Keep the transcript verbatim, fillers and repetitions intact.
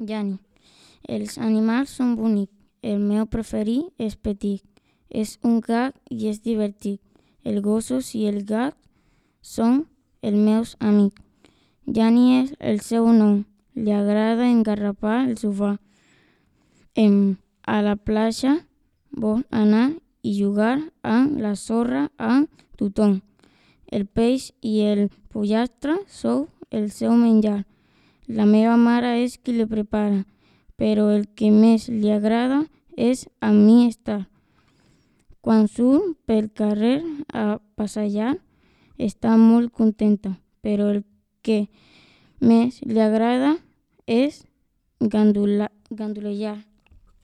Yani, els animals són bonics. El meu preferit és Petit. És un gat i és divertit. Els gossos i el gat són els meus amics. Yani és el seu nom. Li agrada engarrapar el sofà. Em, a la platja vol anar i jugar amb la sorra amb tothom. El peix i el pollastre són el seu menjar. La meva mare és qui li prepara, però el que més li agrada és a mi estar. Quan surt pel carrer a passejar, està molt contenta, però el que més li agrada és gandula- gandulejar.